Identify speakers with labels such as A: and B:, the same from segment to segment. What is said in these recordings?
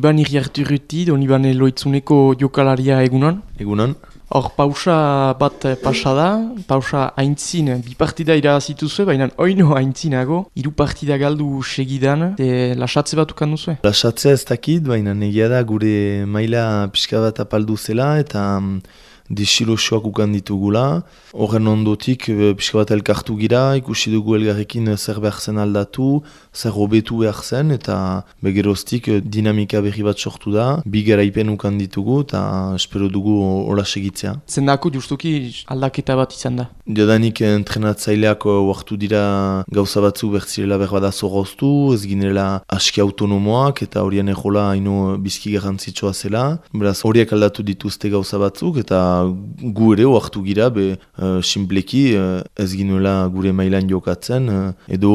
A: Iban Iriarturruti, don Iban Loitzuneko jokalaria egunon.
B: Egunon.
A: Hor, pausa bat pasa da, pausa haintzin, bi partida irabazituzue, baina oino haintzinago, 3 partida galdu segidan, lasatze bat ukan duzue?
B: Lasatzea ez dakit, baina negia da gure maila pixka bat apaldu zela eta desirosoak ukan ditugula. Horren ondotik pixka bat elkartu gira, ikusi dugu elgarrekin zer behar zen aldatu, zer hobetu behar zen, eta begeroztik dinamika berri bat sortu da, bi garaipen ukan ditugu eta espero dugu hola segitzea.
A: Zendako justuki aldaketa bat izan da?
B: Jadanik entrenatzaileak oartu dira gauza batzu bertzirela berbada zorroztu, ez ginela aski autonomoak eta horien ejola haino bizki garrantzitsua zela. Beraz horiek aldatu dituzte gauza batzuk eta gu ere oartu gira simpleki ez ginuela gure mailan jokatzen edo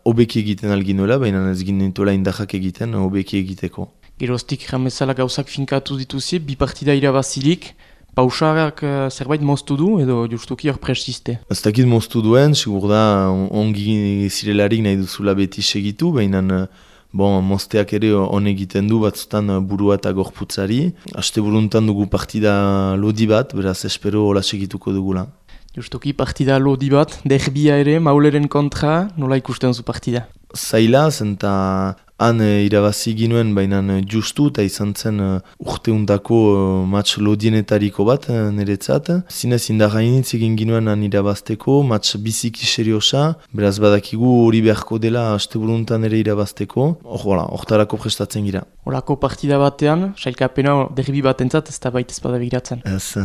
B: hobeki egiten alginuela, baina ez ginuela indahak egiten hobeki egiteko.
A: Geroztik jamezala gauzak finkatu dituzie, bi partida irabazilik, pausarak zerbait moztu du edo justuki hor presiste?
B: Ez dakit moztu duen, sigur da ongi zirelarik nahi duzula beti segitu, baina mozteak ere on egiten du batzutan burua eta gorputzari. Aste buruntan dugu partida lodi bat, beraz espero hola segituko dugula.
A: Justuki partida lodi bat, derbia ere, Mauleren kontra, nola ikusten zu partida?
B: Zaila, zenta han irabazi ginuen, baina justu eta izan zen urteuntako match lodienetariko bat niretzat. Zinez indarrainitz egin ginuen han irabazteko, match biziki seriosa, beraz badakigu hori beharko dela asteburuntan ere irabazteko, hortarako prestatzen gira.
A: Horako partida batean, sailkapena derbi batentzat ez da baita ezpada begiratzen.
B: Ez,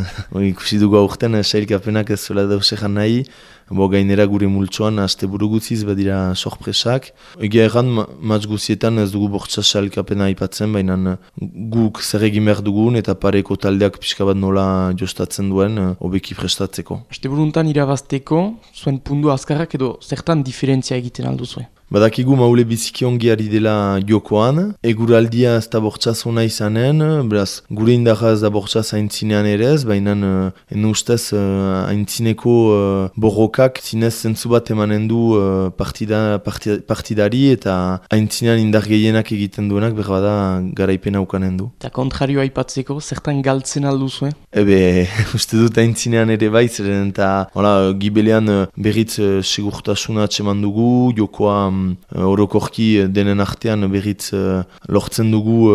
B: ikusi dugu aurten sailkapenak ez zuela dausejan nahi, gainera gure multsoan asteburu gutziz badira sorpresak. Egia erran, match guzietan ez dugu bortza sailkapena aipatzen, baina guk zer egin behar dugun eta pareko taldeak pixka bat nola jostatzen duen hobeki prestatzeko.
A: Asteburuntan irabazteko, zuen pundu azkarrak edo zertan diferentzia egiten alduzue?
B: Badakigu Maule biziki ongi ari dela jokoan, eguraldia ez da bortzaz ona izanen, beraz gure indarra ez da bortzaz haintzinean ere ez, baina ene ustez haintzineko borrokak zinez zentzu bat emanen du partidari eta haintzinean indar gehienak egiten duenak berbada garaipena ukanen du.
A: Eta kontrarioa aipatzeko, zertan galtzen alduzue?
B: Uste dut haintzinean ere bai, zeren eta gibelean berriz segurtasuna atseman dugu, jokoa orokorki denen artean berriz lortzen dugu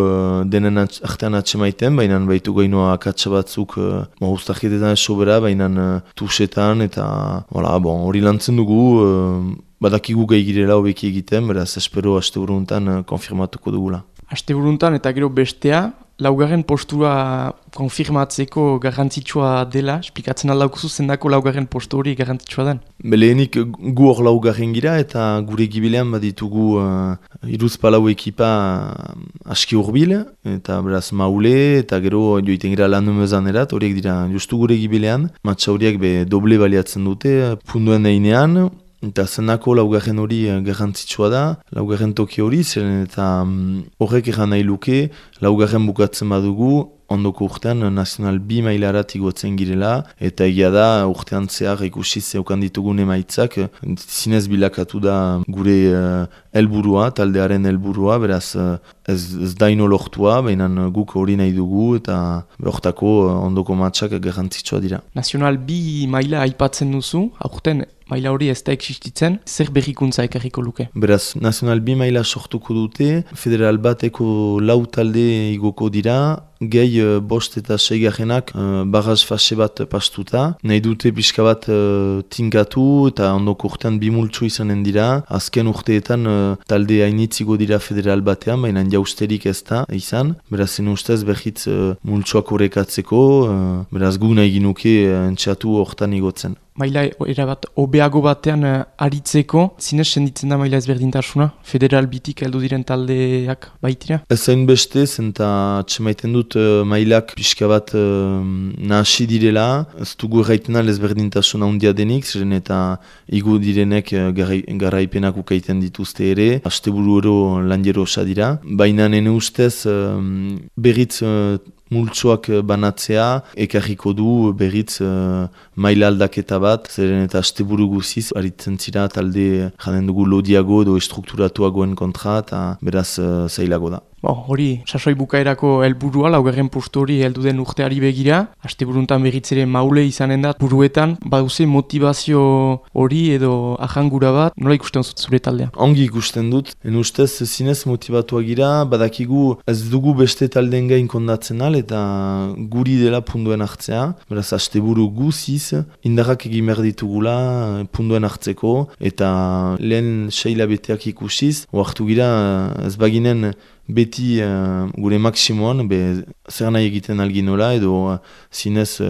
B: denen artean atsemaiten, baina baitu gainoa akatsa batzuk ustarketetan esobera, baina tusetan eta hori lantzen dugu, badakigu gai girela hobeki egiten, beraz espero asteburuntan konfirmatuko dugula. Asteburuntan
A: eta gero bestea, laugarren postura konfirmatzeko garrantzitsua dela, esplikatzen aldaukuzu zendako laugarren postu hori garrantzitsua den?
B: Beleenik gu hor laugarren gira eta gure gibilean baditugu iruzpalau ekipa aski urbil, eta beraz Maule eta gero joiten gira lan erat, horiek dira justu gure gibilean, matxa horiek doble baliatzen dute, punduen einean, eta zenako laugarren hori garrantzitsua da, laugarren toki hori, zeren eta horrek eran nahi luke, laugarren bukatzen badugu, ondoko urtean Nacional B mailarat igotzen girela, eta egia da urtean zehar ikusi zeukan ditugun emaitzak, zinez bilakatu da gure helburua, taldearen helburua, beraz ez daino lortua, baina guk hori nahi dugu, eta hortako ondoko matxak garrantzitsua dira.
A: Nacional B maila aipatzen duzu, aurten maila hori ez da existitzen, zer berrikuntza ekarriko luke?
B: Beraz, Nacional B maila sortuko dute, federal bateko 4 talde igoko dira, gehi 5 eta 6 garenak barraz fase bat pastuta. Nahi dute pixka bat tinkatu eta ondoko urtean 2 multso izanen dira. Azken urteetan talde hainitzigo dira federal batean, baina jausterik ez da izan. Beraz, zen ustez behitz multsoak horrekatzeko, beraz gu nahi ginuke entxatu hortan igotzen.
A: Maila erabat obeago batean aritzeko, zinez senditzen da maila ezberdintasuna? Federal bitik heldu diren taldeak baitira?
B: Ez zain beste, zenta txemaiten dut mailak pixka bat nahasi direla. Ez dugu erraiten ezberdintasuna handia denik, ziren eta igu direnek garaipenak ukaiten dituzte ere. Asteburu ero lanjero osa dira. Baina nene ustez berriz multsoak banatzea, ekarriko du berriz maila aldaketa bat, zeren eta asteburu guziz, aritzen zira talde jaden dugu lodiago edo estrukturatuagoen kontra, eta beraz zailago da.
A: Hori, sasoi bukaerako helburua, laugarren postu hori heldu den urteari begira, asteburuntan berriz ere Maule izanen da, buruetan, baduze motivazio hori edo ahangura bat, nola ikusten zure taldea?
B: Ongi ikusten dut, ustez zinez motivatuak gira, badakigu ez dugu beste taldeen gain kondatzen al, eta guri dela punduen hartzea, beraz asteburu guziz, indarrak egin behar ditugula punduen hartzeko, eta lehen 6 hilabeteak ikusiz, oartu gira ez baginen beti gure maksimoan, zer nahi egiten alginola, edo zinez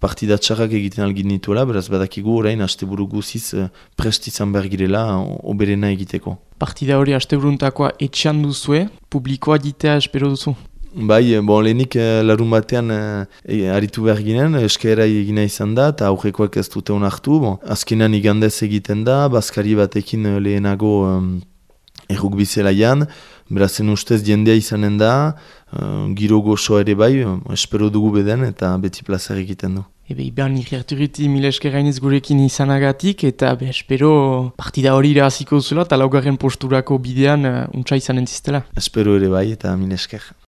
B: partida txarrak egiten algin nituela, beraz badakigu orain asteburu guziz prest izan behar girela oberena egiteko.
A: Partida hori asteburuntakoa etxean duzue, publikoa ditea espero duzu?
B: Bai, lehenik larun batean aritu behar ginen, eskaera egina izan da, eta aurrekoak ez dute onartu. Azkenean igandez egiten da, bazkari batekin lehenago errukbi zelaian, berazen ustez jendea izanen da, giro gozo ere bai, espero dugu beden eta beti plazar egiten du.
A: Iban ikerturiti mila esker gainez gurekin izanagatik, eta espero partida hori iraziko zula, eta laugarren posturako bidean untsa izanen ziztela.
B: Espero ere bai eta mila esker.